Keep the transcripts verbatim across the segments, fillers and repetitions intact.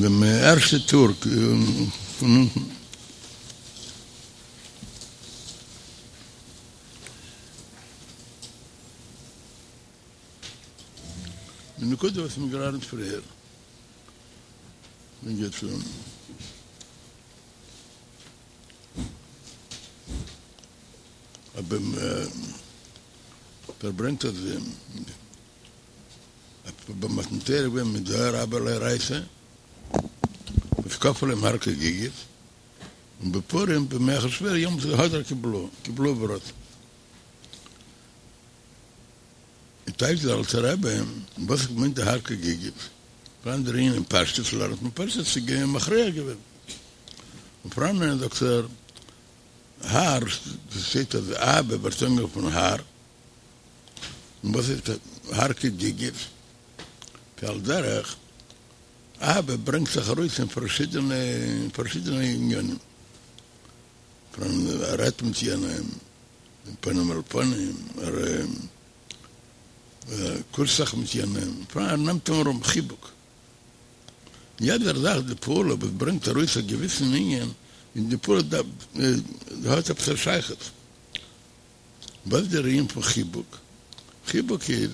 דעם ערשטע טור פון אונטן. די נקודה וואס מ'האט געלערנט פריער בנוגע צו אבער ער ברענגט אז ביי מתן תורה איז געווען מודעא רבה לאורייתא וואס כפה עליהם הר כגיגית, און בפורים בימי אחשורוש יעמאלט הדר קיבלוה קיבלוה ברצון. און טייטשט דער אלטער רבי וואס מיינט די הר כגיגית, פאראן דער ענין אין פשטות לערנט מען פשטות ס'איז געווען מכריע געווען, און פאראן זאגט ער הר, ס'שטייט אז אהבה ווערט אנגערופן הר, און וואס איז הר כגיגית? ועל דרך אהבה ברענגט זיך ארויס אין פארשידענע פארשידענע עניינים, פון ער רעדט מיט יענעם פנים אל פנים, ער קושט זיך מיט יענעם, ער נעמט אים ארום, חיבוק. יעדער זאך די פעולה וואס ברענגט ארויס א געוויסן ענין, איז די פעולה האט עפעס א שייכות. וואס איז דער ענין פון חיבוק? חיבוק איז,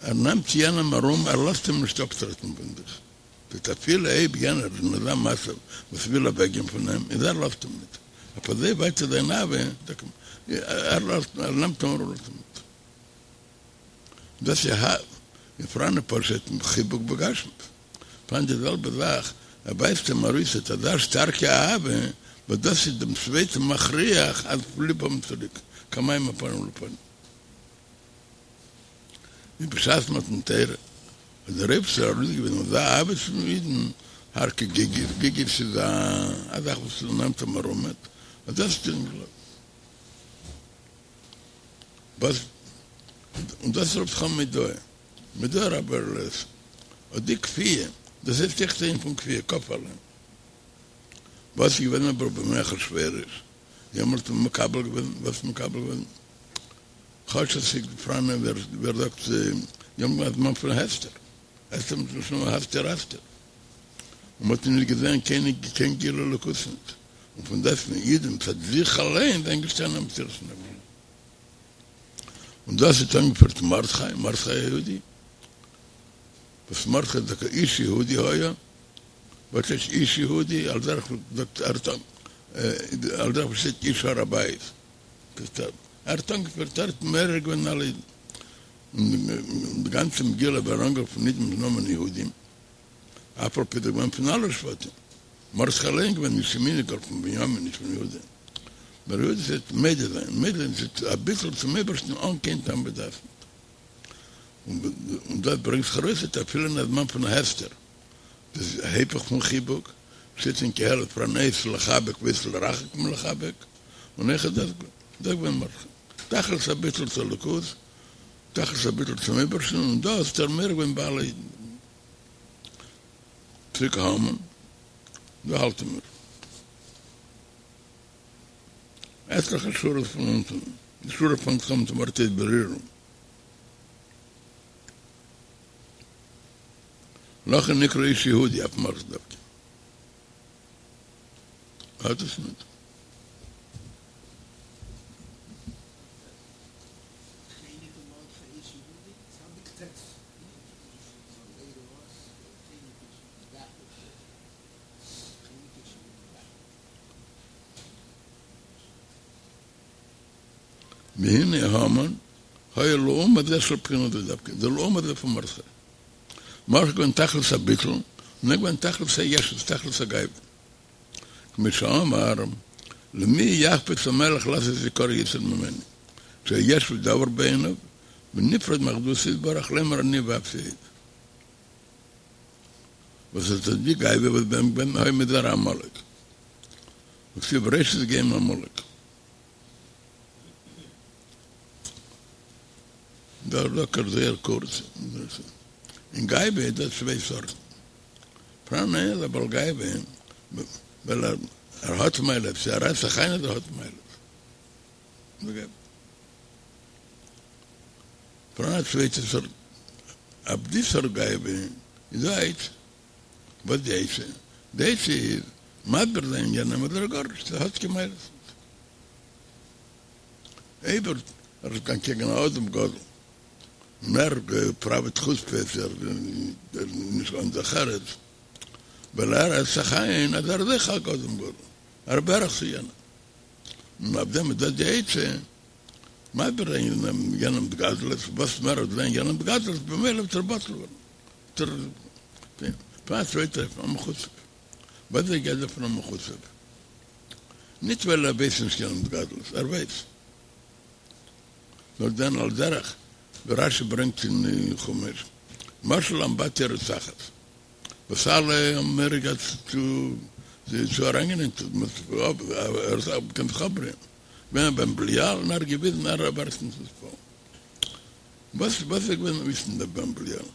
ער נעמט יענעם ארום, ער לאזט אים נישט אפטרעטן פון זיך. דאס אפילו אויב יענער איז אין אזא מצב וואס וויל אוועקגיין פון אים, איז ער לאזט אים נישט. אויף אזוי ווייט איז זיין אהבה, ער לאזט, ער נעמט אים ארום, לאזט אים נישט. דאס איז אהבה. און פאראן פשוט חיבוק בגשמיות. פאראן די זעלבע זאך, ער ווייזט אים ארויס אט אזא שטארקע אהבה, וואס דאס איז דעם צווייטן מכריח אז ליב האבן צוריק, כמים הפנים לפנים. ווי בשעת מתן תורה האט דער אייבערשטער ארויסגעוויזן אזא אהבה צום אידן, הר כגיגית, גיגית איז א זאך וואס נעמט אים ארום, אז דאס האט ער נישט געגלייבט. וואס און דאס רופט זיך אן מודעא, מודעא רבה לאורייתא, אט די כפייה, דאס הייסט אויכעט אן ענין פון כפייה, כפה עליהם. וואס איז געווען אבער בימי אחשורוש, יעמאלט האט מען מקבל געווען, וואס מקבל געווען? כאטש עס איז פאראן ווער ווער זאגט יעמאלט א זמן פון הסתר, הסתר מלשון הסתר אסתיר, און מ'האט נישט געזען קיין קיין גילוי אלוקות ניט, און פון דעסטוועגן אידן מצד זיך אליין זענען געשטאנען אין מסירות נפש. און דאס האט אנגעפירט מרדכי, מרדכי היהודי, וואס מרדכי איז דאך איש יהודי היה, וואס הייסט איש יהודי, על דרך זאגט ער על דרך וואס שטייט איש הר הבית, ער האט אנגעפירט, ער האט מעורר געווען אלע אידן, און די גאנצע מגילה ווערט אנגערופן אידן מיטן נאמען יהודים, אף על פי דאס געווען פון אלע שבטים, מרדכי אליין געווען נישט ימיני גאר פון בנימין נישט פון יהודה, נאר יהודה איז מודה זיין, מודה זיין איז א ביטול צום אייבערשטן אן קיין טעם ודעת, און דאס ברענגט זיך ארויס אפילו אין א זמן פון הסתר, דאס איז היפך פון חיבוק, שטייט אין קהלת פאראן עת לחבק ועת לרחק מלחבק, און אויך איז דאס דאס געווען מרדכי, תכלית הביטול צו אלוקות, תכלית הביטול צום אייבערשטן, און דאס האט ער מעורר געווען ביי אלע אידן. צוריק המן, דא האלטן מיר. עטליכע שורות פון אונטן, די שורה פאנגט זיך אן מיטן ווארט בררו. לכן נקרא איש יהודי אויף מרדכי דווקא. האט עס ניט. והנה המן היה לעומת זה של בחינה זו דווקא, זה לעומת זה פון מרדכי. מרדכי געווען תכלית הביטול, און ער געווען תכלית הישות, תכלית הגאווה. כמו שאמר, למי יחפץ המלך לעשות יקר יותר ממני, שיש ודבר בעיניו, ונפרד מאחדותו יתברך לאמר אני ואפסי עוד. וואס איז דאס די גאווה וואס ביי אים געווען היה מזרע עמלק. וכתיב ראשית גוים עמלק. דאס זאגט ער זייער קורץ. אין גאווה איז דא צוויי סארטן. פאראן איינער א בעל גאווה ווייל ער האט מעלות, צו ער רעדט זיך איין אז ער האט מעלות. פאראן א צווייטע סארט, אויף די סארט גאווה איז דא א עצה. וואס די עצה? די עצה איז מסביר זיין יענעם אז ער איז גארנישט, ער האט קיין מעלות נישט. אויב ער איז אנטקעגן א אדם גדול און ער פראוועט חוצפות, ער איז נישט אן דרך ארץ, ווייל ער רעדט זיך איין אז ער איז אויך א אדם גדול, ער איז בערך צו יענעם. און אויף דעם איז דא די עצה, מסביר זיין יענעם גדלות, וואס מער ער וועט זען יענעם גדלות במילא וועט ער בטל ווערן. פאר א צווייטע אופן, א מחוצף. וואס איז דער גדר פון א מחוצף? נישט ווייל ער ווייסט נישט יענעמ'ס גדלות, ער ווייסט. נאר דען על דרך ווי רשי ברענגט אין חומש, משל לאמבטיה רותחת, וואס אלע האבן מורא געהאט צו צו אריינגיין אין ער קען זיך אפבריען, געווען א בן בליעל און ער האט געוויזן ער ווערט נישט נתפעל. וואס וואס איז געווען אויסן דער בן בליעל?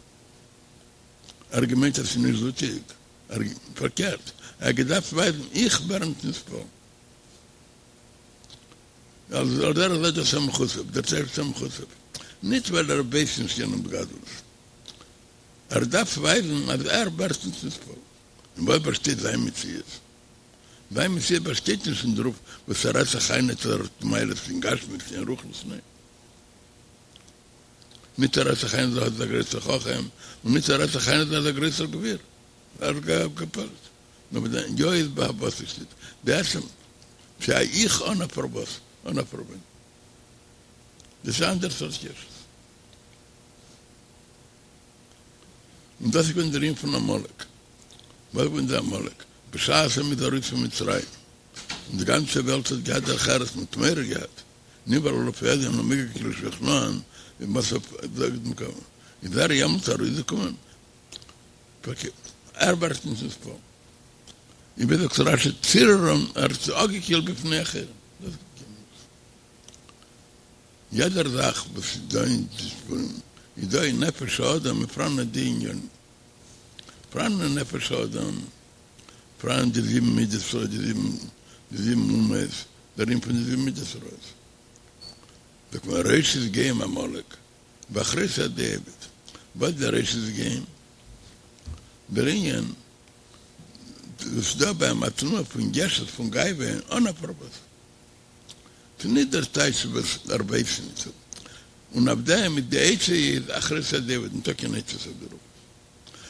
ער האט געמיינט אז ס'איז נישט זוטיג, ער פארקערט, ער האט געדארפט ווייזן איך ווער נישט נתפעל. על דרך זה דאס א מחוצף, דער טייטש א מחוצף, נישט ווייל ער ווייסט נישט יענעמ'ס גדלות, ער דארף ווייזן אז ער ווערט נישט נתפעל. אין וואס באשטייט זיין מציאות? זיין מציאות באשטייט נישט אין דערויף וואס ער רעדט זיך איין אז ער האט מעלות אין גשמיות אין רוחניות, ניין. ניט ער רעדט זיך איין אז ער איז א גרויסער חכם, און ניט ער רעדט זיך איין אז ער איז א גרויסער גביר. ער האט געפועלט. נאר מיט זיין יא איז בהבאת שטייט בעצם צו א איך אן א פארוואס, אן א פארווען. דאס איז אנדערע סארט ישות. און דאס איז געווען דער ענין פון עמלק. וואס איז געווען דער עמלק? בשעת מ'איז ארויס פון מצרים, און די גאנצע וועלט האט געהאט דרך ארץ, מ'האט מורא געהאט, נבהלו לפחד ומקלל שכנען, איז ער יעמאלטס ארויסגעקומען? פארקערט, ער ווערט נישט נתפעל. און ווי זאגט רשי ציררם, ער האט זיי אפגעקילט בפני אחרים. דאס איז יעדער זאך וואס איז דא אין די ספרים איז דא אין נפש האדם איז פאראן אט די ענינים. פאראן אין נפש האדם, פאראן די זיבן מידות רעות, די זיבן די זיבן אומות, דער ענין פון די זיבן מידות רעות. זאגט מען ראשית גוים עמלק, ואחרית עדי אובד. וואס איז דער ראשית גוים? דער ענין וואס איז דא ביי אים א תנועה פון ישות פון גאווה אן א פארוואס. ס'איז נישט דער טייטש וואס ער ווייסט נישט. און אויף דעם איז די עצה איז אחרית עדי אובד, ניטא קיין עצות אויף דערויף.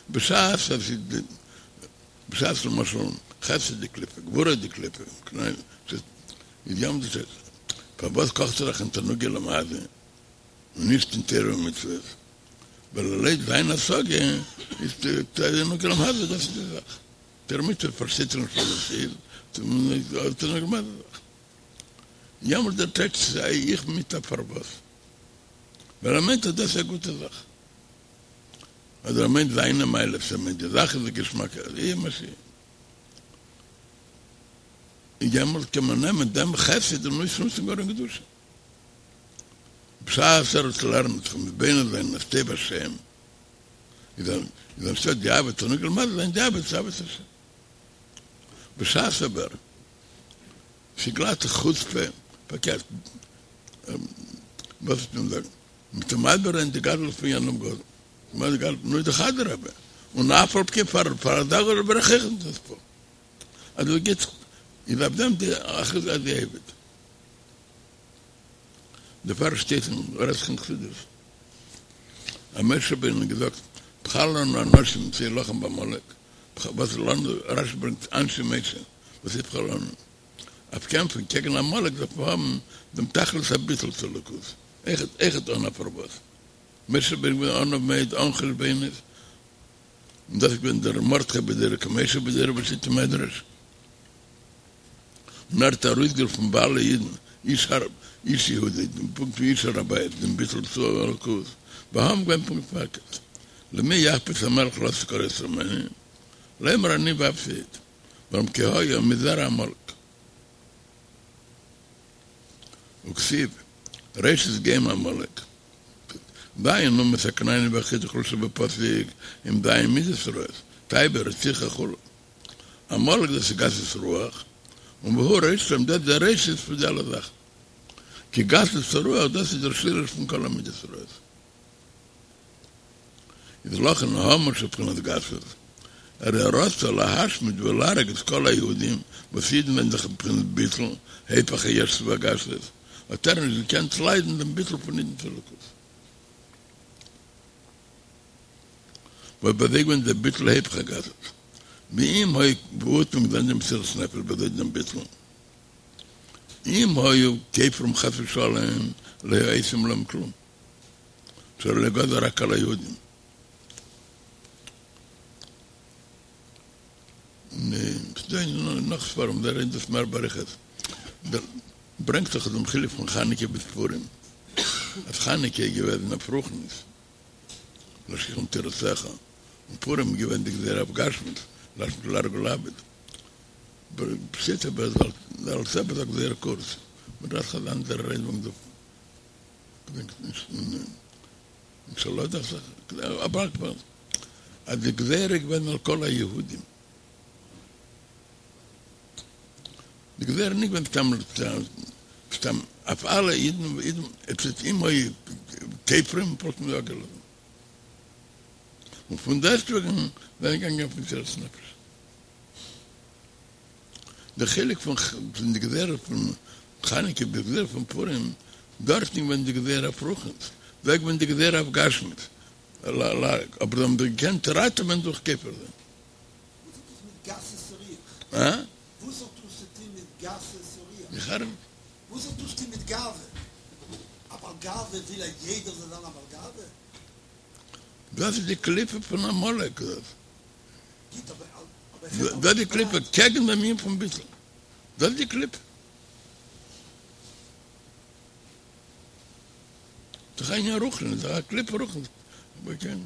בשעת אז ס'איז בשעת למשל חסד דקליפה, גבורה דקליפה, איז ים די פארוואס קאכט ער זיך אין תענוגי עולם הזה? און נישט אין תורה ומצוות, ווייל לויט זיין השגה איז תענוג עולם הזה דאס איז די זאך, תורה ומצוות פארשטייט ער נישט וואס דאס איז, תענוג עולם הזה זאך. יעמאלט דער טייטש איז א איך מיט א פארוואס, ווייל ער מיינט אז דאס איז א גוטע זאך, אדער ער מיינט זיינע מעלות, ער מיינט די זאך איז א געשמאקע, יהיה מה שיהיה. יעמאלט קען מען נעמען דעם חסד און אויסנוצן גאר אין קדושה. בשעת ער וועט לערנען זיך מתבונן זיין אין טוב השם, איז איז אנשטאט די אהבה תענוג עולם הזה זיין די אהבה צו אהבת השם. בשעת אבער ס'איז גלאט חוצפה, פארקערט, וואס וועט מען זאגן, מ'וועט אים מסביר זיין די גדלות פון יענעם גדול, מה די גדלות, נו איז דאך אדרבה, און אף על פי כן פאר פאר אזא גדול ווער איך אויך נישט נתפעל. אז עס גייט איז אויף דעם די אחרית עדי אובד. דערפאר שטייט אין רעדט זיך אין חסידות אז משה רבינו האט געזאגט בחר לנו אנשים שילחם בעמלק, וואס איז לנו, רשי ברענגט אנשי משה, וואס איז בחר לנו? אויף קעמפן קעגן עמלק דארף מען האבן דעם תכלית הביטול צו אלוקות, אויכעט אן א פארוואס. משה רבינו געווען עניו מאוד אן חשבונות, און דאס איז געווען דער מרדכי בדורו כמשה בדורו וואס שטייט אין מדרש. און ער האט ארויסגערופן ביי אלע אידן, איש הר איש יהודי, דעם פונקט ווי איש הר הבית, דעם ביטול צו אלקות, ביי המן געווען פונקט פארקערט, למי יחפץ המלך לתת כרת ממני, לאמר אני ואפסי עוד, ווארום כי היה מזרע עמלק. וכתיב, ראשית גוים עמלק, ז' אומות הכנעני והחתי וכו' שבפסוק הם ז' מידות רעות, תאווה רציחה וכו'. עמלק דאס איז גסות רוח, און והוא ראשם דאס איז דער ראשית פון די אלע זאכן. כי גסות הרוח דאס איז דער שורש פון כל המידות רעות. איז לכן המן שבחינת גסות, הרי רצה להשמיד ולהרוג את כל היהודים, וואס אידן זענען דאך בבחינת ביטול, היפך הישות והגשמיות, האט ער נישט געקענט ליידן דעם ביטול פון אידן צו אלוקות. וואס ביי זיי געווען דער ביטול היפך הגשמיות. ואם היו וואו האט מען געזען דעם מסירת נפש ביי זיי דעם ביטול? אם היו כופרים חס ושלום לא היו עושים להם כלום. שהרי לא גזר רק על היהודים. און ס'דא נאך ספרים זיי רעדן דאס מער באריכות, דער ברענגט זיך דעם חילוק פון חנוכה ביז פורים, אז חנוכה איז געוועזן אויף רוחניות, להשכיחם תורתך, און פורים איז געווען די גזירה אויף גשמיות, להשמיד להרוג ולאבד. פשיטא אבער דער אלטער רבי זאגט זייער קורץ, מ'דארף זיך אנדערע רעדן וועגן דעם, כ'דענק נישט. שלא דאכט זיך, אבער אז די גזירה איז געווען על כל היהודים. די גזירה איז נישט געווען סתם סתם אויף אלע אידן, אידן עס איז אם היו כופרים וואלט מען יא געלאזן. און פון דעסטוועגן זענען געגאנגען אויף מסירת נפש. די חילוק פון די גזירה פון חנוכה ביז גזירה פון פורים, דארט איז געווען די גזירה אויף רוחניות, דא איז געווען די גזירה אויף גשמיות, אבער זיי האבן זיך געקענט ראטעווען דורך כופר זיין. וואס האט דאס מיט גסות הרוח? הא? וואס האט דאס צו טון מיט גסות הרוח? איך הער נישט. וואס האט דאס צו טון מיט גאווה? א בעל גאווה וויל אז יעדער זאל זיין א בעל גאווה? דאס איז די קליפה פון עמלק דאס. דאס איז די קליפה קעגן דעם ענין פון ביטול. דאס איז די קליפה. דאך א ענין רוחני, דאך א קליפה רוחנית. אבער כן.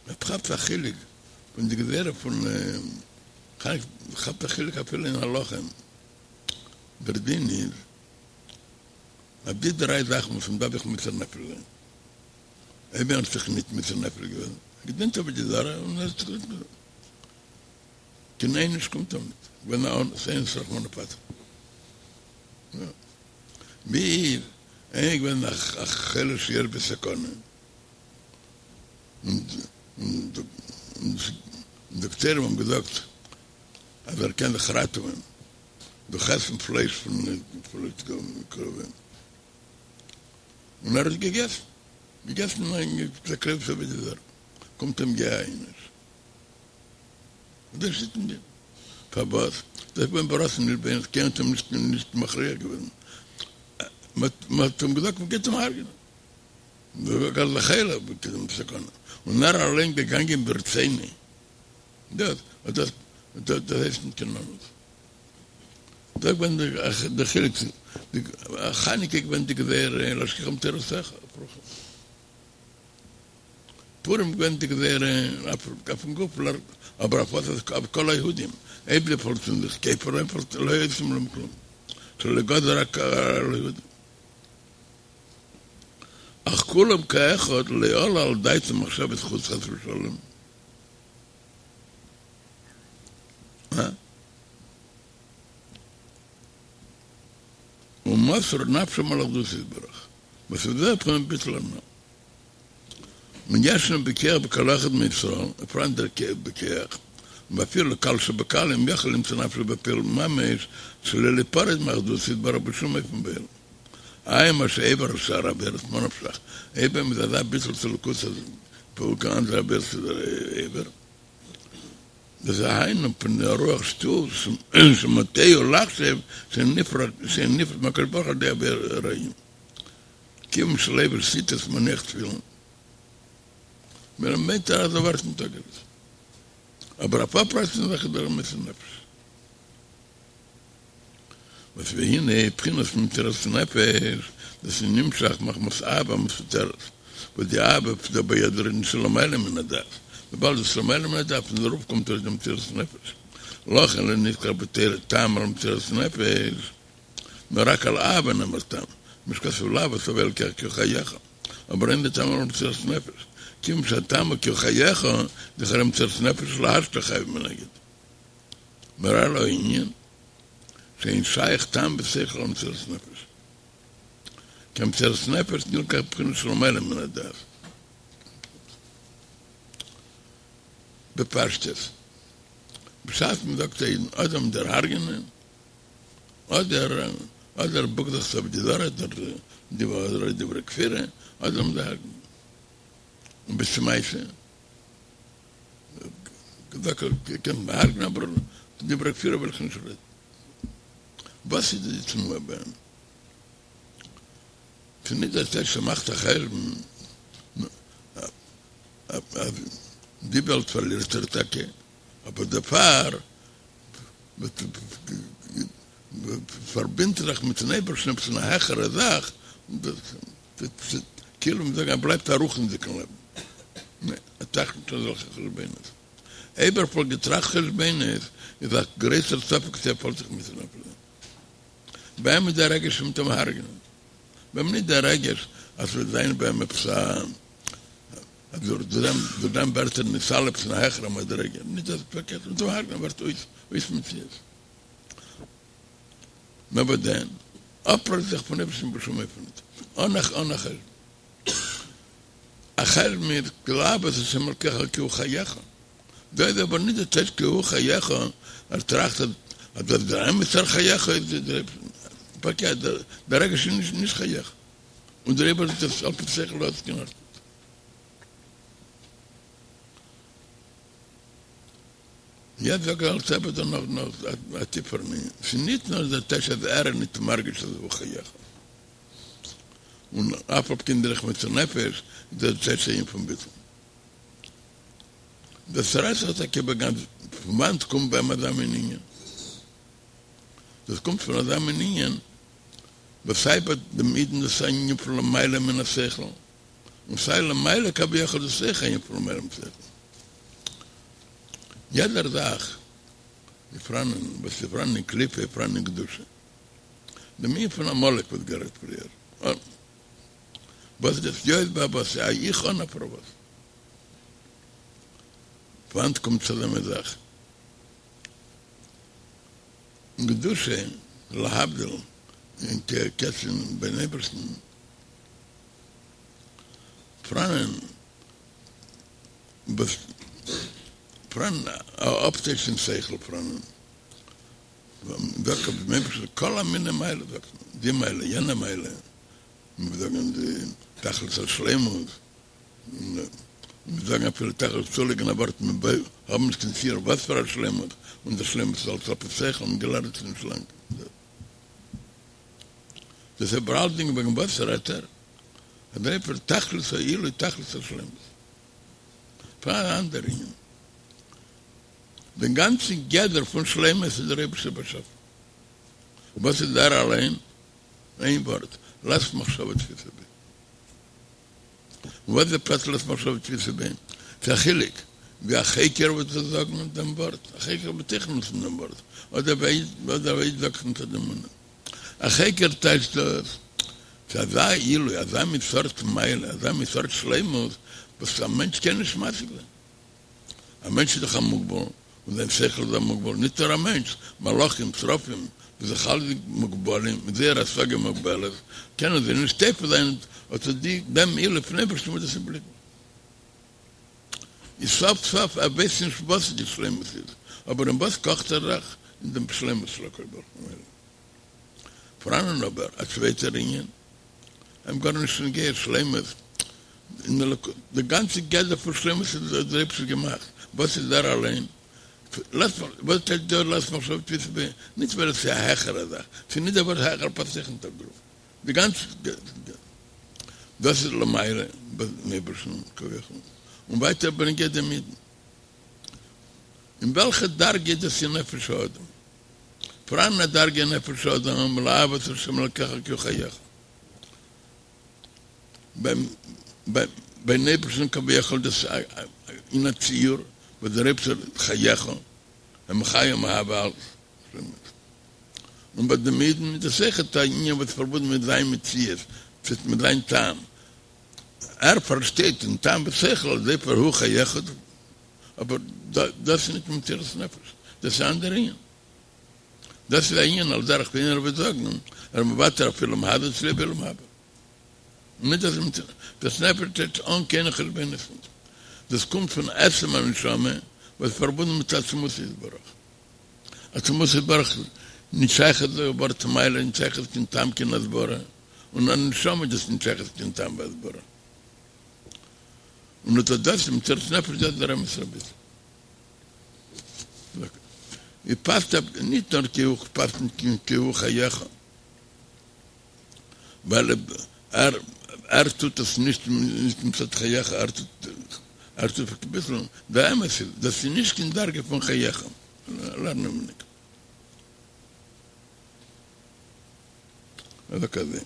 מען כאפט א חילוק פון די גזירה פון כאפט א חילוק אפילו אין הלכה, דער דין איז אז די דריי זאכן וואס מען דארף זיך מוסר נפש זיין, אויב איינער האט זיך ניט מוסר נפש געווען, ער געדינט עבודה זרה און ער האט זיך ניט קיין עונש קומט אים ניט, געווען א אונס, אונס רחמנא פטריה. ווי איז איינער געווען א חולה שיש בו סכנה, און דאקטוירים האבן געזאגט אז ער קען זיך ראטעווען דורך עסן פלייש פון קרובים, און ער האט געגעסן, געגעסן תקרובת עבודה זרה, קומט אים יא עונש. דאס איז נישט פארוואס דאס איז געווען ברצון נישט באונס קיינער האט אים נישט נישט מכריח געווען מען האט אים געזאגט מען גייט אים הרג'נען גאר לכאורה בסכנה און ער אליין געגאנגען ברצונו דאס דאס דאס הייסט נישט קיין אונס דאס געווען די חילוק חנוכה געווען די גזירה להשכיחם תורתך פורים געווען די גזירה אויפן גוף אבער אויף וואס אויף כל היהודים אויב זיי פאלגן זיך כופר לא היו עושים להם כלום שלא גזר רק על היהודים אך כולם כאחד לא עלה על דעתם מחשבת חוץ חס ושלום ומסרו נפשם על אחדותו יתברך וואס איז דער פון ביטול הנ"ל און ישנו בכח בכל אחד מישראל, פאראן דער בכח, ואפילו קל שבקלים יכול למסור נפשו בפועל ממש שלא ליפרד מאחדותו יתברך בשום אופן בעולם. איי מה שעבר על שאר עבירות ממה נפשך, אויב אים איז אזא ביטול צו אלוקות אז פאר קיין אנדערע עבירות איז ער עובר, דאס איז היינו מפני הרוח שטות שמטעהו לחשוב שנפרד מהקדוש ברוך הוא על ידי עבירה רעים. כיוון שלובש ציצית ומניח תפילין, מיינט ער אז ער ווערט נישט אפגעריסן. אבער אויף אפרייסן זיך איז דער מוסר נפש. וואס והנה בחינת מסירת נפש, דאס איז נמשך מחמת אהבה המסותרת, וואס די אהבה איז דא ביד רעדן שלמעלה מן הדעת, וויבאלד דאס למעלה מן הדעת פון דערויף קומט אויס די מסירת נפש, לכן לא נזכר בתורה טעם על מסירת נפש. נאר רק על אהבה נאמר טעם, כמו שכתוב לאהוב את הוי' אלקיך כי הוא חייך, אבער אין זה טעם על מסירת נפש, כיוון שהטעם הוא כי הוא חייך, דכאורה מסירת נפש להשתא חייו מנגד. מראה לו העניין, שאין שייך טעם ושכל על מסירת נפש. כי המסירת נפש נלקח בבחינה שלמעלה מן הדעת. בפשטות, בשעת מען זאגט א אידן אדער מ'וועט דיר הרג'נען, אדער אדער בוק זיך צו עבודה זרה, אדער דברי כפירה, אדער מ'וועט דיר הרג'נען. און בשעת מעשה, געזאגט קענסט מיר הרג'נען אבער דברי כפירה וועל איך נישט רעדן. וואס איז די תנועה ביי אים? ס'איז נישט דער טייטש ער מאכט א חשבון אז די וועלט פארלירט ער טאקע, אבער דערפאר פארבינדט ער זיך מיטן אייבערשטן עפעס אין א העכערע זאך, כאילו מ'זאגט ער בלייבט א רוחניות'דיגן לעבן. ניין, ער טראכט נישט אזעלכע חשבונות. אויב ער וואלט געטראכט חשבונות איז א גרויסער ספק צו ער וואלט זיך מוסר נפש זיין. ביי אים איז דער רגש מ'וועט אים הרג'נען. ביי אים נישט דער רגש אז ס'וועט זיין ביי אים עפעס א אז דורך דעם ווערט ער נתעלה עפעס אין א העכערע מדריגה. נישט דאס, פארקערט, מ'וועט אים הרג'נען ווערט אויס אויס מציאות. נאר וואדען, אפרייסן זיך פון אייבערשטן בשום אופן ניט, אן א אן א חשבון. א חשבון איז לאהוב את השם אלקיך כי הוא חייך. דא איז אבער נישט די טייטש כי הוא חייך, ער טראכט אז אז דאס דער אמת'ער חייך איז דער אייבערשטער. פארקערט, דער רגש איז נישט חייך, און דעריבער איז דאס על פי שכל האט עס קיין ארט ניט. יעצט זאגט דער אלטער רבי דא נאך נאך א טיפערן ענין, ס'איז ניט נאר דער טייטש אז ער איז ניט מרגיש אז הוא חייך, און אף על פי כן דורך מוסר נפש איז דאס דער טייטש ענין פון ביטול. דאס רעדט זיך טאקע בגאנץ פון וואנעט קומט ביי אים אזא מין ענין? דאס קומט פון אזא מין ענין וואס סיי ביי דעם אידן דאס איז א ענין פון למעלה מן השכל, און סיי למעלה כביכול דאס איז אויך א ענין פון למעלה מן השכל. יעדער זאך איז פאראנען וואס איז פאראנען אין קליפה איז פאראנען אין קדושה. דעם ענין פון עמלק וואס גערעדט פריער. וואס איז דאס יא איז ביי וואס א איך אן א פארוואס. וואנעט קומט צו אזא מין זאך? אין קדושה, להבדיל, אין קעץ אין ביים אייבערשטן, פאראנען וואס פאראנען א אפטייטש אין שכל פאראנען זאגט אויף דעם אייבערשטן כל המיני מעלות זאגט מען די מעלה יענע מעלה מיר זאגן די תכלית השלימות און מיר זאגן אפילו תכלית צולייגן א ווארט מיר האבן נישט קיין ציור וואס פאר א שלימות און די שלימות איז אלץ על פי שכל מ'האט געלערנט נישט לאנג דאס איז אבער אלצדינג וועגן וואס רעדט ער אז דער אייבערשטער תכלית העילוי תכלית השלימות פאראן אן אנדער ענין דעם גאנצן גדר פון שלימות איז דער אייבערשטער באשאפן וואס איז ער אליין איין ווארט לית מחשבה תפיסא ביה וואס איז די פשט לית מחשבה תפיסא ביה? ס'איז א חילוק ווי א חוקר וועט עס זאגן דעם ווארט, א חוקר וועט זיכער נוצן דעם ווארט, אדער ווי א איד זאגט מצד אמונה. א חוקר טייטשט דאס, ס'איז אזא עילוי, אזא מין סארט מעלה, אזא מין סארט שלימות, וואס א מענטש קען נישט משיג זיין. א מענטש איז דאך א מוגבל, און זיין שכל איז א מוגבל, נישט נאר א מענטש, מלאכים, שרפים, זיי זיך אלע מוגבלים, מיט זייער השגה מוגבלת, קענען זיי נישט תופס זיין אט די דעם עילוי פון אייבערשטן וואס דאס איז בלי גבול. איז סוף סוף ער ווייסט נישט וואס די שלימות איז, אבער אין וואס קאכט ער זיך? אין דעם שלימות של הקדוש ברוך הוא. פאראנען אבער א צווייטער ענין, אים גארנישט נוגע שלימות אין אלוקות, די גאנצע גדר פון שלימות איז האט דער אייבערשטער געמאכט, וואס איז ער אליין? וואס טייטש דא לית מחשבה תפיסא ביה? נישט ווייל עס איז א העכערע זאך, ס'איז נישט דער ווארט העכער פאסט זיך נישט אויף דערויף, די גאנצע דאס איז למעלה ביים אייבערשטן כביכול, און ווייטער בנוגע דעם אידן, אין וועלכע דרגה איז דאס אין נפש האדם? פאראן א דרגה אין נפש האדם לאהוב את ה' אלקיך כי הוא חייך. ביים אייבערשטן כביכול דאס אין א ציור וואס דער אייבערשטער איז חייך ומחיה ומהווה אלץ און ביי דעם אידן איז דאס אויכעט א ענין וואס איז פארבונדן מיט זיין מציאות, מיט זיין טעם, ער פארשטייט אין טעם ושכל אז דערפאר הוא חייך, אבער דאס איז נישט מסירת נפש, דאס איז א אנדערע ענין. דאס איז א ענין על דרך ווי איינער וועט זאגן, ער איז מוותר אויף עולם הזה צוליב עולם הבא. נישט דאס מסירת נפש טוט אן קיינע חשבונות נישט. דאס קומט פון עצם הנשמה וואס איז פארבונדן מיט עצמותו יתברך. עצמותו יתברך נישט שייך דער ווארט מעלה, נישט שייך קיין טעם קיין הסברה, און א נשמה איז דאס נישט שייך קיין טעם והסברה. און אט דאס איז מסירת נפש דאס איז דער אמת'ער ביטול. ווי פאסט אפ נישט נאר כי הוא פאסט נישט כי הוא חייך, ווייל ער ער טוט עס נישט נישט מצד חייך, ער טוט ער טוט אביסל, דער אמת איז דאס איז נישט קיין דרגה פון חייך, לערנען מיר נישט. אזוי כזה.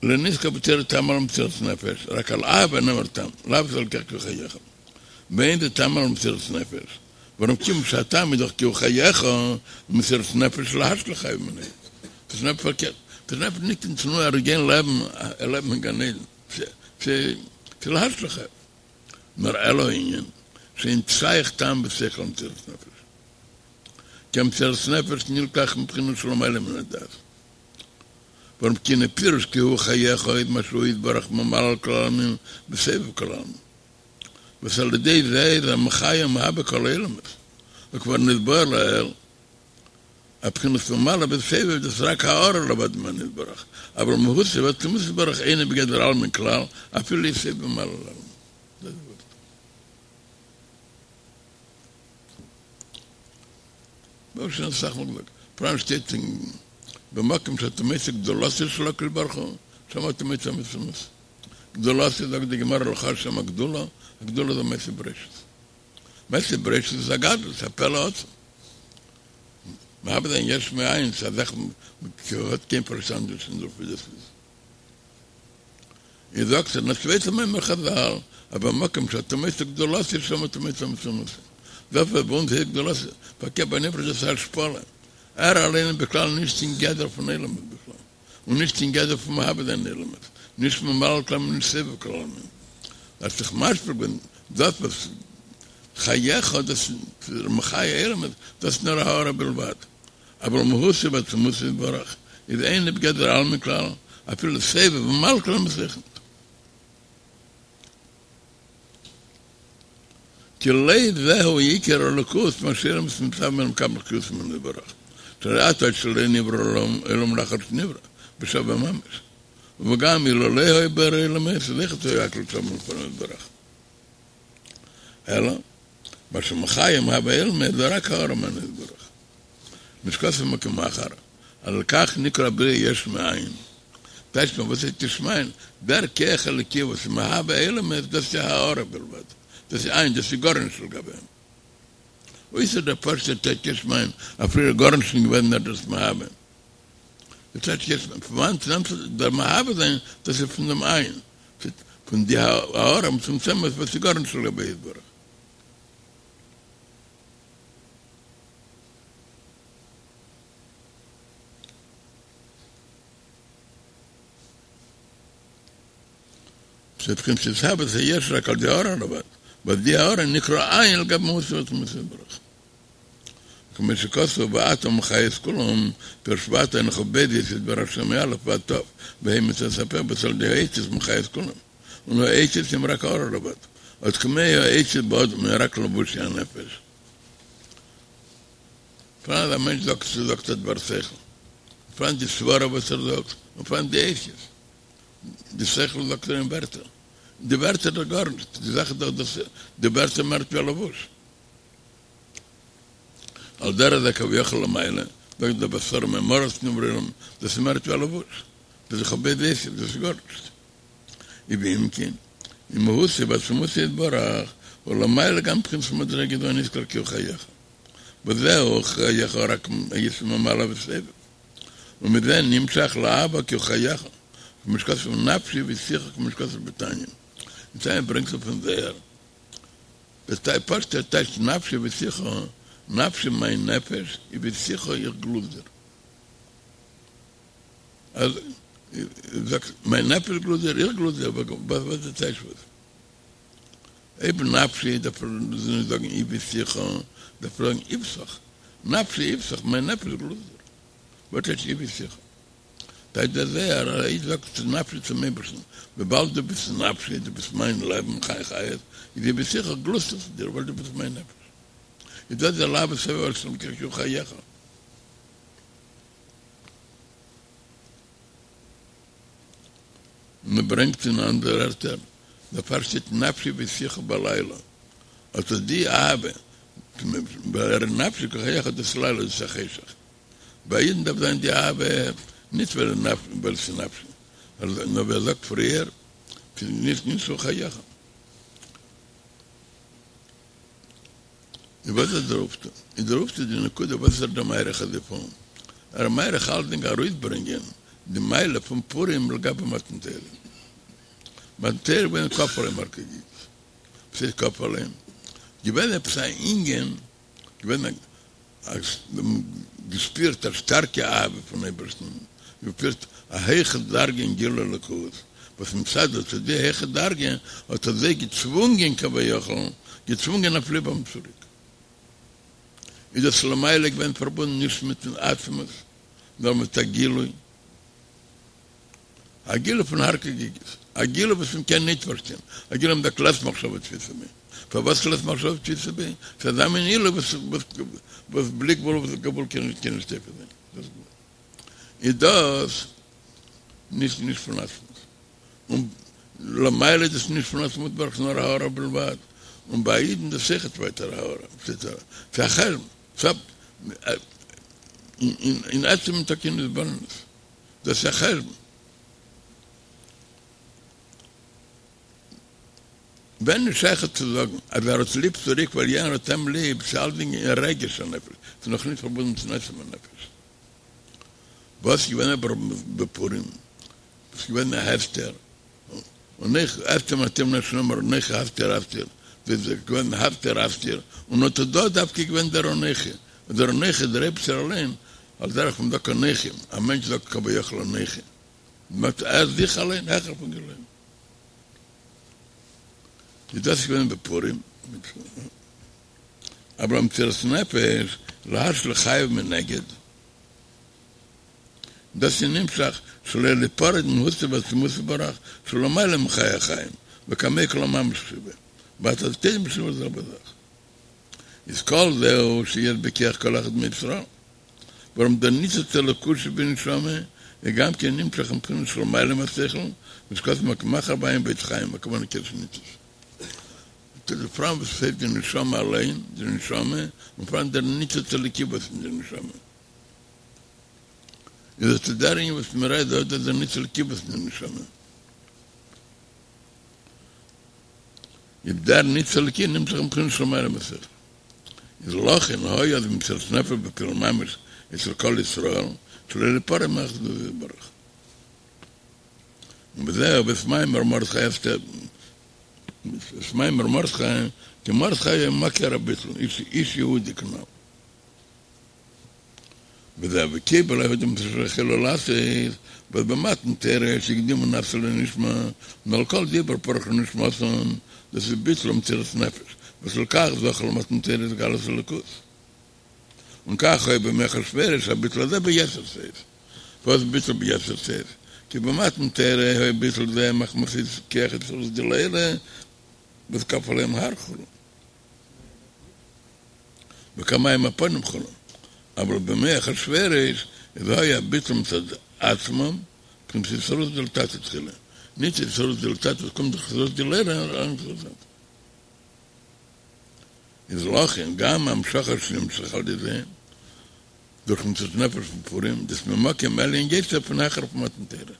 לא נזכר בתורה טעם על מסירת נפש, רק על אהבה נאמר טעם, לאו זה אלקיך כי הוא חייך. ואין זה טעם על מסירת נפש, ווארום כיוון שהטעם איז דאך כי הוא חייך, מסירת נפש להשליך חייו מיניה. דאס איז פארקערט, מסירת נפש נישט אין תנועה ער גיין לעבן, לעבן אין גן עדן, ס'איז להשליך חייו. נאר אלא הענין, שאין שייך טעם ושכל על מסירת נפש. כי המסירת נפש נלקח מבחינה שלמעלה מן הדעת. ווארום כי הנה פירוש כי הוא חייך איז מה שהוא יתברך ממלא כל העלמין וסובב כל העלמין. וואס על ידי זה איז ער מחיה ומהווה כל העולמות. וכבר נתבאר לעיל, אז בחינת ממלא וסובב דאס רק הארה לבד ממנו יתברך, אבל מהותו ועצמותו יתברך אינו בגדר עלמין כלל, אפילו יסובב וממלא לעלמין. דאס איז ווארט. מ'האט שוין אסאך מאל געזאגט, פאראן שטייט אין במקום שאתה מוצא גדולתו של הקדוש ברוך הוא, שם אתה מוצא מצומצם. גדולתו זאגט די גמרא לך שם הגדולה, הגדולה זה מעשה בראשית. מעשה בראשית איז א גדלות, א פלא עצום. מהווה זיין יש מאין, ס'איז א זאך וואס האט קיין פארשטאנד נישט אין דערויף ווי דאס איז. איז זאגט ער אין א צווייטע מאמר חזל, אז במקום שאתה מוצא גדולתו שם אתה מוצא מצומצם. דאס וואס ביי אונז הייסט גדולתו, פארקערט ביי נברא איז דאס א השפלה. ער אליין איז בכלל נישט אין גדר פון עולמות בכלל, און נישט אין גדר פון מהווה זיין עולמות, נישט ממלא כל עלמין נישט סובב כל עלמין. ער האט זיך משפיל געווען, דאס וואס חייך דאס איז מחיה עולמות, דאס איז נאר א הארה בלבד. אבל מהותו ועצמותו יתברך איז אינו בגדר עלמין כלל, אפילו סובב וממלא כל עלמין אויך ניט. כי לא זהו עיקר אלוקות מה שעולמות מתהווים ומקבלים חיות ממנו יתברך, שהרי עתה שלא נברא עולם לאחר שנברא, בשווה ממש. וגם אילולא היה בורא עולמות אויכעט היו הכל שווים לפניו יתברך. אלא, מה שמחיה ומהווה עולמות זה רק הארה ממנו יתברך. כמו שכתוב במקום אחר, על כך נקרא בריאה יש מאין. טייטש מען וואס איז יש מאין, דער כח אלוקי וואס איז מהווה עולמות דאס איז הארה בלבד, דאס איז אין, דאס איז גארנישט לגבי אים. אויסער דער פשוט'ער טייטש יש מאין, אז פריער איז גארנישט נישט געווען נאר דאס מהווה. דער טייטש יש מאין, פון וואנעט נעמט זיך דער מהווה זיין, דאס איז פון דעם אין, פון די הארה המצומצמת וואס איז גארנישט לגבי יתברך. שבבחינת התהוות היש רק על ידי הארה לבד, וואס די הארה נקרא אין לגבי מהותו ועצמותו יתברך. כמו שכתוב ואתה מחיה את כולם, פירוש ואתה הן כ"ב אותיות בראש מא' ועד ת', וה' מצוות הפה וואס על ידי האותיות מחיה את כולם, און האותיות הם רק הארה לבד, עוד כמו האותיות באדם הם רק לבושי הנפש. פאראן אז א מענטש זאגט זאגט א דבר שכל, פאראן די סברה וואס ער זאגט, און פאראן די אותיות. די שכל זאגט ער אין ווערטער. די ווערטער דאך גארנישט, די זאך איז דאך דאס די ווערטער מער ווי א לבוש. על דרך זה כביכול למעלה, זאגט דער בעשרה מאמרות נברא העולם, דאס איז מער ווי א לבוש. דאס איז כ"ב אותיות, דאס איז גארנישט. ואם כן, אין מהותו ועצמותו יתברך, הוא למעלה גם מבחינת מדרגה זו הנזכר כי הוא חייך. וזהו חייך רק היש ממלא וסובב. ומזה נמשך לאהבה כי הוא חייך, כמו שכתוב נפשי בשיחה כמו שכתוב בתניא. אין תניא ברענגט ער פון זוהר. דאס פשוט'ער טייטש נפשי בשיחה, נפשי מיין נפש, בשיחה איך גלוסט דיר. אז זאגסט מיין נפש גלוסט דיר, איך גלוסט דיר, וואס איז די טייטש וואס? אויב נפשי דארף ער נישט זאגן בשיחה, דארף ער זאגן איבתך, נפשי אויבתך, מיין נפש גלוסט דיר. וואס הייסט אויבתיך? טייטש דער זוהר, א איד זאגט צו נפשי צום אייבערשטן, וויבאלד דו ביסט נפשי, דו ביסט מיין לעבן, חי חיות, איז אויבתיך גלוסט איך צו דיר, ווייל דו ביסט מיין נפש. איז דאס דער לאהבה סביב השם כי הוא חייך. מען ברענגט אין אנדערע ערטער, דערפאר שטייט נפשי אויבתיך בלילה, אט די אהבה, ווייל נפשי כי חייך דאס לילה דאס איז א חשך, ביי אידן דארף זיין די אהבה נישט ווייל ס'איז נפשי, נאר ווי ער זאגט פריער, ס'איז נישט נישט הוא חייך. און וואס איז דער אויפטו? איז דער אויפטו די נקודה וואס איז ער דא מאריך אזוי פון? ער איז מאריך אלסדינג ארויסברענגען די מעלה פון פורים לגבי מתן תורה. מתן תורה איז געווען כפה עליהם הר כגיגית. וואס הייסט כפה עליהם? געווען עפעס א ענין, געווען א געשפירט א שטארקע אהבה פון אייבערשטן, געשפירט א הויכע דרגה אין גילוי אלוקות, וואס מצד אט די הויכע דרגה האט ער זיי געצוואונגען כביכול, געצוואונגען אויף ליב האבן צוריק. איז דאס למעלה געווען פארבונדן נישט מיטן עצמות, נאר מיט א גילוי. א גילוי פון הר כגיגית, א גילוי וואס מען קען ניט פארשטיין, א גילוי מ'זאגט לית מחשבה תפיסא ביה. פארוואס לית מחשבה תפיסא ביה? ס'איז אזא מין עילוי וואס וואס בלי גבול וואס גבול קען נישט קען נישט תופס זיין. איז דאס נישט נישט פון עצמות. און למעלה איז דאס נישט פון עצמות יתברך נאר הארה בלבד. און ביי אידן דאס אויכעט ווייטער הארה. ס'איז א חשבון. אין עצם ניטא קיין התבוננות. דאס איז א חשבון. ווען איז שייך צו זאגן אז ער האט ליב צוריק ווייל יענער האט אים ליב, ס'איז אלסדינג אין רגש הנפש, ס'איז נאך נישט פארבונדן צום עצם הנפש. וואס איז געווען אבער בפורים? ס'איז געווען א הסתר, אנכי הסתר מסתירים לפני שנאמר אנכי הסתר אסתיר, דאס איז געווען הסתר אסתיר, און אט דא איז דווקא געווען דער אנכי, און דער אנכי איז דער אייבערשטער אליין, על דרך וואס מ'זאגט אנכי, א מענטש זאגט כביכול אנכי, מיינט ער זיך אליין העכער פון גילויים. איז דאס געווען בפורים, אבער המסירת נפש להשליך חייו מנגד, דאס איז נמשך שלא ליפרד ממהותו ועצמותו יתברך שלמעלה מחיי החיים וקמי כל הממש שבו ואתה תדע בשביל זה בזך איז כל זהו שיש בכח כל אחד מישראל ווארום דער ניצוץ אלוקות שבנשמה איז גם כן נמשך מבחינה שלמעלה מהשכל וואס כתוב מקומך הוויה בית חיים הכוונה קדש ניצוץ פאראן וואס הייסט די נשמה אליין די נשמה און פאראן דער ניצוץ אלוקי וואס אין די נשמה. איז אט דער ענין וואס מען רעדט דא, דאס איז דער ניצוץ אלוקי וואס אין די נשמה. איז דער ניצוץ אלוקי נמשך מבחינה שלמעלה מהשכל. איז לכן היה אז מסירת נפש בפועל ממש אצל כל ישראל, שלא ליפרע מאחדותו יתברך. ובזה הביא את מאמר מרדכי אסתר, את מאמר מרדכי, כי מרדכי היה מכיר הביטול, איש יהודי כנ"ל. וזהו וקיבל היהודים את אשר החלו לעשות, וואס במתן תורה שהקדימו נעשה לנשמע, און על כל דיבור פרח לנשמתן, דאס איז ביטול ומסירת נפש, וואס לכך זכו למתן תורה התגלות אלוקות. און כך היה בימי אחשורוש הביטול הזה ביתר שאת. וואס ביטול ביתר שאת? כי במתן תורה היה ביטול זה מחמת כח אתערותא דלעילא וואס כפה עליהם הר כו'. וכמים הפנים כו', אבל בימי אחשורוש איז היה ביטול מצד עצמם, בחינת אתערותא דלתתא תחילה, נישט אתערותא דלתתא וואס קומט דורך אתערותא דלעילא נאר אתערותא דלתתא. איז לכן גם המשכה שנמשך על ידי זה דורך מסירת נפש פון פורים, דאס ממקום עליון יותר פון העכער פון מתן תורה,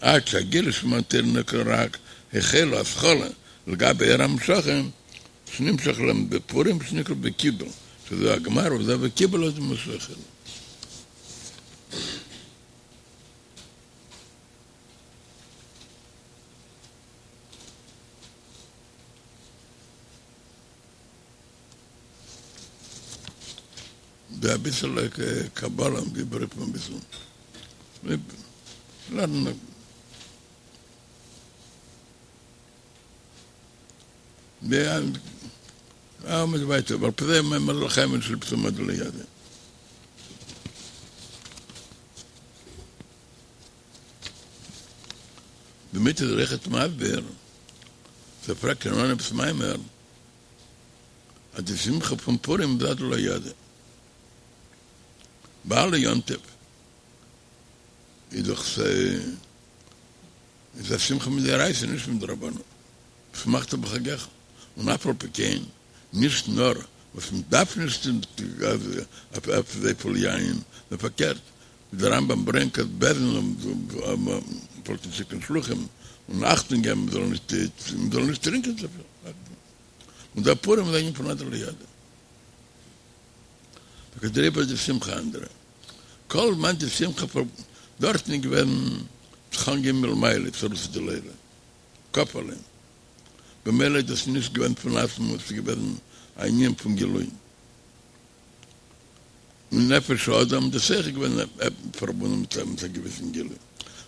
עד שהגילוי של מתן תורה נקרא רק החלו התחלה לגבי אור ההמשכה, שנמשך להם בפורים שנקרא וקיבל, שזה הגמר וזה וקיבל אז מה שהחלו. די אביסעלע קבלה גיב אריבער אביסל לערנען. די עמוד ווייטער ועל פי זה מאמר לחיים של פסומא דלידע. דערמיט איז ער אויכעט מסביר, ס'פרעגט אין אנהויב מאמר אז די שמחה פון פורים איז עד דלא ידע. ביי אלע יום טוב איז דאך ס'איז א שמחה מדאורייתא נישט מדרבנן, ושמחת בחגך, און אף על פי כן נישט נאר וואס מען דארף נישט אויף אזויפיל יין, נאר פארקערט ווי דער רמב"ם ברענגט אז בית דין פלעגט שיקן שלוחים און אכטונג געבן מען זאל נישט מען זאל נישט טרינקען צופיל, און דער פורים איז א ענין פון עד דלא ידע. טאקע דעריבער איז די שמחה אנדערע. כל זמן די שמחה פאר דארטן איז געווען זיך אנגעהויבן מלמעלה אתערותא דלעילא, כפה עליהם. במילא איז דאס נישט געווען פון עצמות, ס'איז געווען א ענין פון גילוי. און נפש האדם דאס אויך איז געווען פארבונדן מיט מיט א געוויסן גילוי.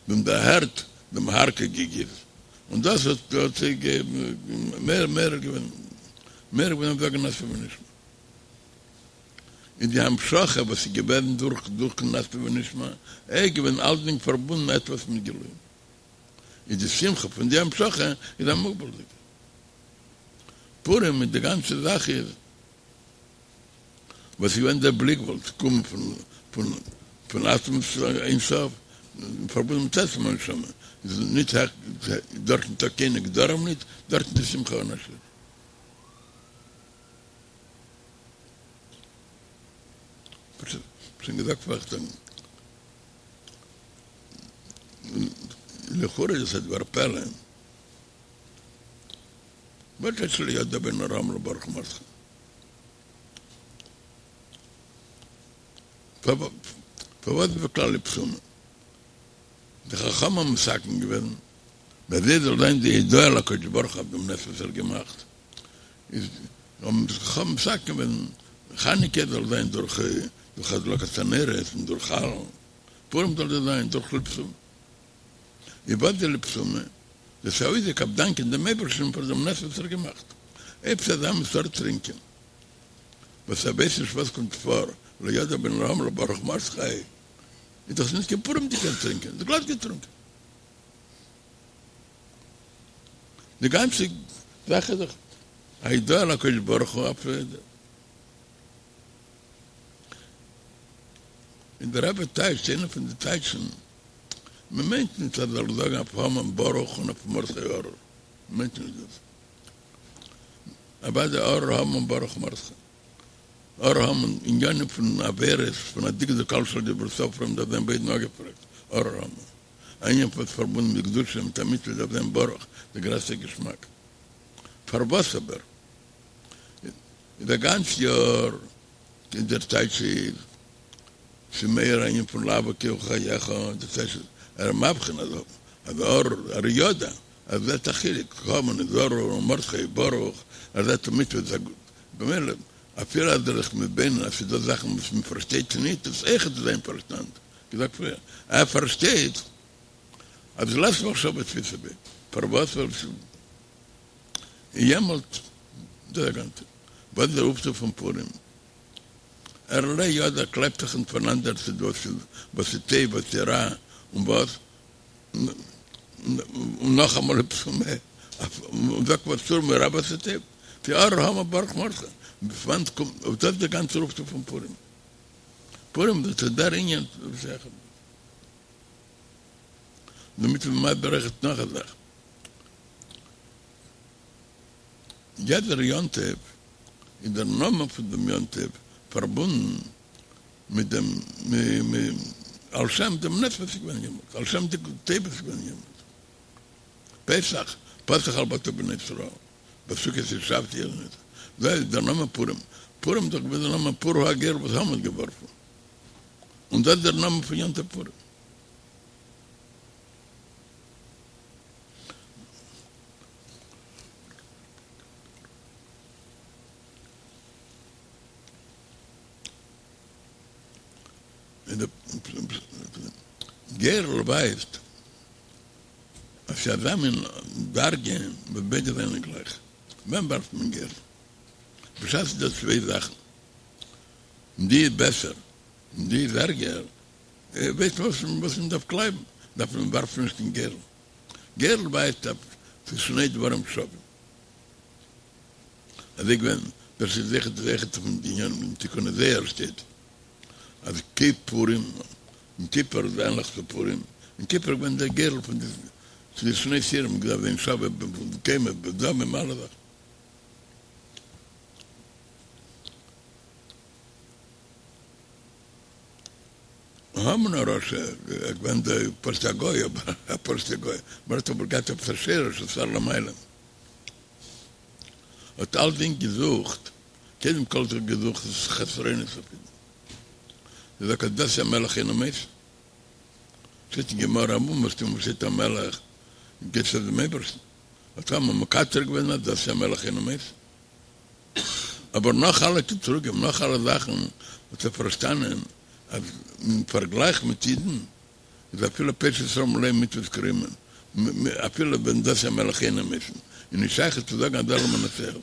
זיי האבן דערהערט דעם הר כגיגית, און דאס האט האט זיי מער מער געווען מער געווען אויף זאגן נעשה ונשמע. איז די המשכה וואס איז געווען דורך דורכן נעשה ונשמע איז געווען אלסדינג פארבונדן עטוואס מיט גילוי. איז די שמחה פון די המשכה איז א מוגבל'דיגע. פורים איז די גאנצע זאך איז וואס איז געווען דער בלי גבול צו קומען פון פון פון עצמות אין סוף פארבונדן מיט עצם הנשמה איז ניט דארט ניטא קיינע גדרים ניט דארט איז די שמחה אן א שיעור. שוין געזאגט פארעכטן. לכאורה איז עס א דבר פלא. וואס הייסט שלא ידע בין ארור המן לברוך מרדכי? פארוואס בכלל לבסומי? די חכמים האבן מתקן געווען ווי אזוי זאל זיין די הודאה להקדוש ברוך הוא אויף דעם נס וואס ער האט געמאכט, איז האבן די חכמים מתקן געווען חנוכה זאל זיין דורך דורך הדלקת הנרות און דורך הלל, פורים זאל דאס זיין דורך לבסומי. איז וואס די לבסומי? דאס איז א אויסדרוק אויף דאנקען דעם אייבערשטן פאר דעם נס וואס ער האט געמאכט. אויב ס'איז אזא מין סארט טרינקען וואס ער ווייסט נישט וואס קומט פאר, לא ידע בין ארור המן לברוך מרדכי, איז דאך נישט קיין פורימ'דיגער טרינקען, איז גלאט געטרונקען. די גאנצע זאך איז דאך א הודאה להקדוש ברוך הוא אויף און דער רבי טייטשט איינע פון די טייטשן, מען מיינט נישט אז ער זאל זאגן אויף המן ברוך און אויף מרדכי ארור, מען מיינט נישט דאס, אוודאי ארור המן ברוך מרדכי, ארור המן עניינים פון עבירות פון א דקדוק קל של דברי סופרים דארף זיין ביידן אפגעפרעגט, ארור המן, א ענין וואס פארבונדן מיט קדושה מיט א מצוה דארף זיין ברוך, די גרעסטע געשמאק. פארוואס אבער איז א גאנץ יאר איז דער טייטש איז ס'איז מער א ענין פון לאו כי הוא חייך, דער טייטש איז ער איז מבחין אז אז ארור ער יודע ער זעט א חילוק המן איז ארור און מרדכי איז ברוך ער זעט א מצוה איז א גוט במילא אפילו אז ער איז מתבונן אז ס'איז דא זאכן וואס מען פארשטייט ניט איז אויכעט זיין פארשטאנד געזאגט פריער ער פארשטייט אז לית מחשבה תפיסה ביה פארוואס ווייל ס'איז יעמאלט דער גאנצער וואס איז דער אויפטו פון פורים? ער לא ידע קלייבט זיך ניט פאנאנדער צו וואס איז וואס איז טוב וואס איז רע און וואס און נאכאמאל לבסומי און זאגט וואס סור מרע ועשה טוב כי ארור המן ברוך מרדכי פון וואנעט קומט אויף דאס דער גאנצער אויפטו פון פורים פורים דאס איז דער ענין דערמיט איז מען מסביר אויכעט נאך א זאך. יעדער יום טוב איז דער נאמען פון דעם יום טוב פארבונדן מיט דעם על שם דעם נס וואס איז געווען יעמאלט, על שם די טוב וואס איז געווען יעמאלט. פסח, פסח על בתי בני ישראל, בסוכות הושבתי, אזוי איז דער נאמען פורים. פורים איז דאך געווען דער נאמען פור הוא הגורל וואס המן האט געווארפן, און דאס איז דער נאמען פון יום טוב פורים. גורל ווייזט אז ס'איז אזא מין דרגה וואס ביידע זענען גלייך. ווען ווארפט מען גורל? בשעת ס'איז דא צוויי זאכן, די איז בעסער און די איז ערגער, ווייסט מען וואס מען דארף קלייבן, דארף מען ווארפן נישט קיין גורל. גורל ווייזט אויף ס'איז שני דברים שווים. אזוי געווען דאס איז זיכער זיכער פון די ענינים אין תיקוני זוהר שטייט אז כפורים יום כיפור איז ענליך צו פורים, יום כיפור איז געווען דער גורל פון די די שני שעירים געדארפט זיין שווה בקומה בדמים אלע זאכן. המן הרשע איז געווען דער פשוט'ער גוי אבער א פשוט'ער גוי, מען האט אבער געהאט עפעס א שורש א שר למעלה. האט אלסדינג געזוכט, קודם כל האט ער געזוכט חסרונות אויף אידן. ער זאגט אז דתי המלך אינו מוסיף. שטייט אין גמרא אומעטום וואו שטייט המלך גייט עס אויף דעם אייבערשטן. האט המן מקטרג געווען אז דתי המלך אינו מוסיף. אבער נאך אלע קטרוגים, נאך אלע זאכן, האט ער פארשטאנען אז אין פארגלייך מיט אידן איז אפילו פושעי ישראל מלא מצוות כרימון, אפילו ווען דתי המלך אינו מוסיף, איז נישט שייך צו זאגן אז ער זאל מנצח זיין.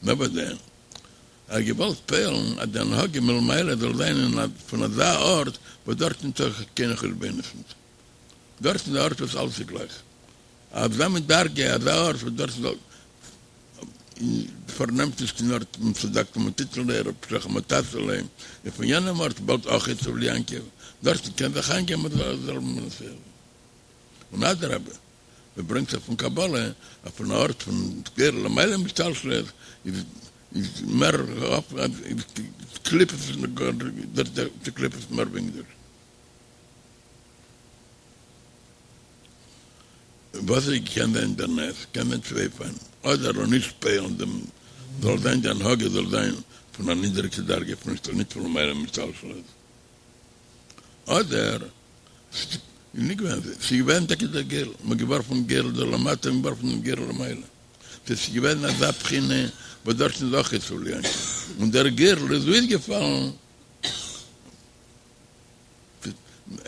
נאר וואס דען? ער האט געוואלט פועל'ן אז די הנהגה מלמעלה זאל זיין אין פון אזא ארט וואס דארט ניטא קיינע חשבונות ניט. דארט איז א ארט וואס אלעס איז גלייך. אזא מין דרגה, אזא ארט וואס דארט איז פארנעמט נישט קיין ארט און צדקת מה תתן ליה רפשך מה תעשה ליה, און פון יענעם ארט באלד אויך עצב ליעקב, דארטן קען זיך איינגעבן אז זאל מען זיך. און אדרבה, מען ברענגט זיך פון קבלה אז פון א ארט פון גורל למעלה מהשתלשלות איז איז מער קליפות די קליפות מער ווינקדיג. וואס איז קען זיין דער נס? קען זיין צוויי אופנים, אדער זאל נישט פועל'ן דעם זאל זיין די הנהגה זאל זיין פון א נידעריגע דרגה פון נישט נישט פון למעלה מהשתלשלות, אדער ס'איז נישט געווען אזוי, ס'איז געווען טאקע דער גורל, מ'האט געווארפן גורל דא למטה און געווארפן דעם גורל למעלה, ס'איז געווען אזא בחינה וואס דארטן איז אויך עצב ליעקב, און דער גורל איז אויסגעפאלן.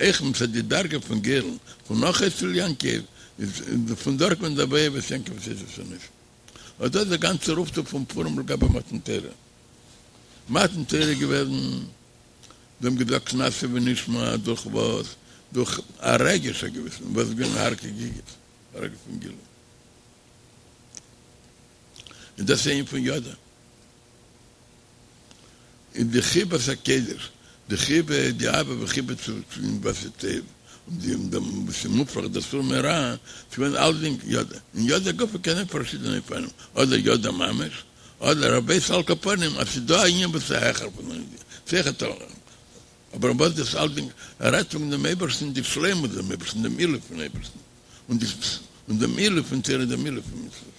אויך מצד די דרגה פון גורל פון נאך אצל יעקב איז פון דארט קומט דער ואוהב את יעקב ואת עשו שנאתי. אט דאס איז דער גאנצער אויפטו פון פורים לגבי מתן תורה. מתן תורה איז געוועזן, זיי האבן געזאגט נעשה ונשמע דורך וואס? דורך א רגש א געוויסן וואס איז געווען הר כגיגית, א רגש פון גילוי. און דאס איז ענין פון ידע. איז די חיבת הקודש, די חיבה, די אהבה וחיבה צו וואס איז טוב, און די דעם וואס איז מופרך דער סור מרע, ס'איז געווען אלסדינג ידע, און ידע גופא קען זיין פארשידענע אופנים, אדער ידע ממש, אדער ער ווייס על כל פנים אז ס'איז דא א ענין וואס איז העכער פון דעם ידיעה, ס'איז העכער אבער וואס דאס אלסדינג, ער רעדט וועגן דעם אייבערשטן, די שלימות דעם אייבערשטן, דעם עילוי פון אייבערשטן, און די און דעם עילוי פון תורה, דעם עילוי פון מצוות.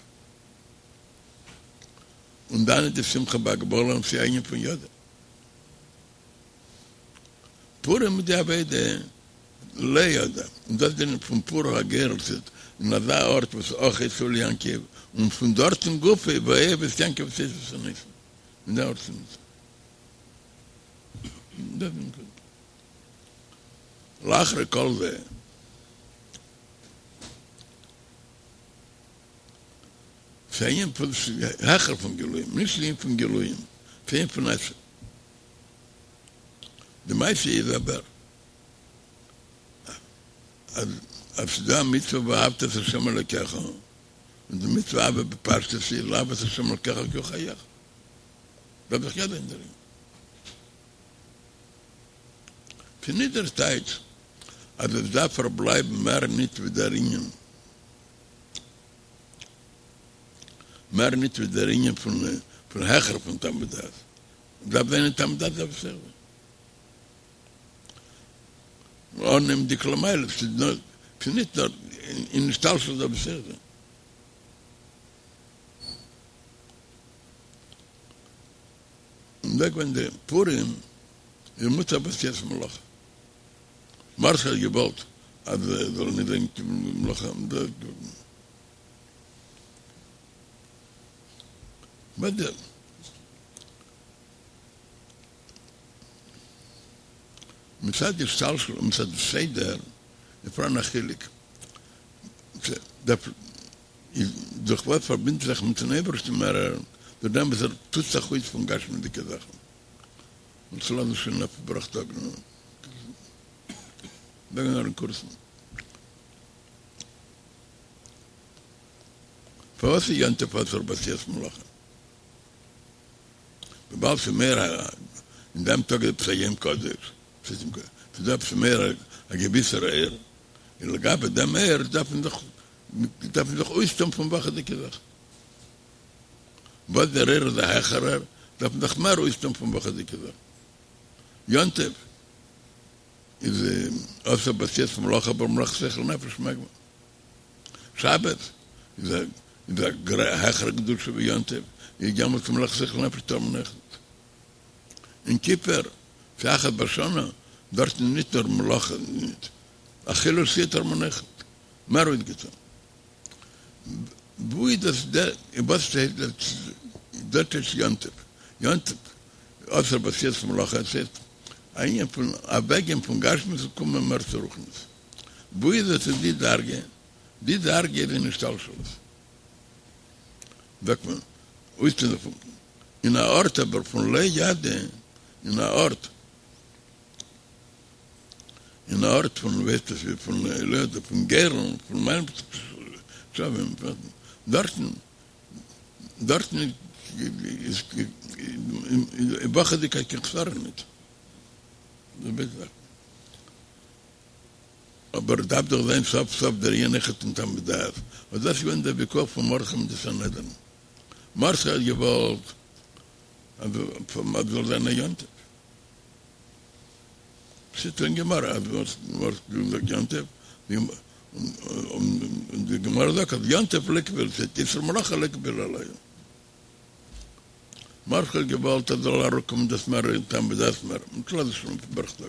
און דאן איז די שמחה בהגבלה און ס'איז א ענין פון ידע. פורים איז די עבודה לא ידע, און דאס דער ענין פון פור הגורל ס'איז אין אזא ארט וואס אויך עצב ליעקב, און פון דארטן גופא ואוהב את יעקב ואת עשו שנאתי, אין די ארט פון דאס איז די נקודה. לאחרי כל זה. ס'איז א ענין פון העכער פון גילויים, נישט ענין פון גילויים, ס'איז א ענין פון עצם. די מעשה איז אבער אז אז ס'איז דא א מצוה ואהבת את ה' אלוקיך, און די מצוה אהבה בפשטות איז לאהוב את ה' אלוקיך כי הוא חייך. דארף דאך ידע אין דערין. ס'איז נישט דער טייטש אז עס דארף פארבלייבן מער ניט ווי דער ענין. מער ניט ווי דער ענין פון פון העכער פון טעם ודעת, דארף זיין אין טעם ודעת דארף עס אויך זיין אננעמענדיק למעלה, ס'איז נאר ס'איז ניט נאר אין השתלשלות דארף עס אויך זיין. און דא געווען די פורים איז מותר בעשיית מלאכה. מרדכי האט געוואלט אז עס זאל נישט זיין קיין מלאכה, מצד השתלשלות און מצד הסדר איז פאראן א חילוק, דורך וואס פארבינדט זיך מיטן אייבערשטן מערער, דורך דעם וואס ער טוט זיך אויס פון גשמיות'דיגע זאכן. און צו לאזן שוין אויף בראך טאג נו זאגן נאר אין קורצן. פארוואס איז יום טוב אסור בעשיית מלאכה? וויבאלד ס'איז מער א אין דעם טאג איז עפעס א יום קדוש, ס'איז דא עפעס מער א געוויסער אור, און לגבי דעם אור דארף מען זיך דארף מען זיך אויסטון פון וואכעדיגע זאכן. וואס דער אור איז א העכערער, דארף מען זיך מער אויסטון פון וואכעדיגע זאכן. יום טוב איז אסור בעשיית מלאכה אבער מלאכת שכל ונפש מעג מען. שבת איז א איז א העכערע קדושה ווי יום טוב, איז דעמאלטס מלאכת שכל ונפש טאר מען אויך ניט. יום כיפור, ס'איז אחת בשנה, דארטן איז ניט נאר מלאכה ניט, אכילה ושתיה טאר מען אויך ניט. מער אויסגעטון. וואו איז דאס דער וואס שטייט דארט איז יום טוב, יום טוב אסור בעשיית מלאכה, עס איז א ענין פון אוועקגיין פון גשמיות און קומען מער צו רוחניות. וואו איז עס איז די דרגה? די דרגה איז אין השתלשלות. זאגט מען אויסטון זיך פון אין א ארט אבער פון לא ידע אין א ארט אין א ארט פון ווייסט עס ווי פון לא ידע פון גורל פון מיין שווים דארטן דארטן איז וואכעדיגקייט קיין חסרון ניט. אבער דארף דאך זיין סוף סוף דער ענין אויכעט אין טעם ודעת, און דאס איז געווען דער ויכוח פון מרדכי מיט די סנהדרין. מרדכי האט געוואלט אז זאל זיין א יום טוב. שטייט אין גמרא אז מרדכי האט געזאגט יום טוב, און די גמרא זאגט אז יום טוב לא קביל, ס'הייסט איסור מלאכה לא קביל עלייהו. מרדכי האט געוואלט אז זאל אראפקומען דאס מער אין טעם ודעת מער, מ'טאר נישט שלאפן בערך טאג.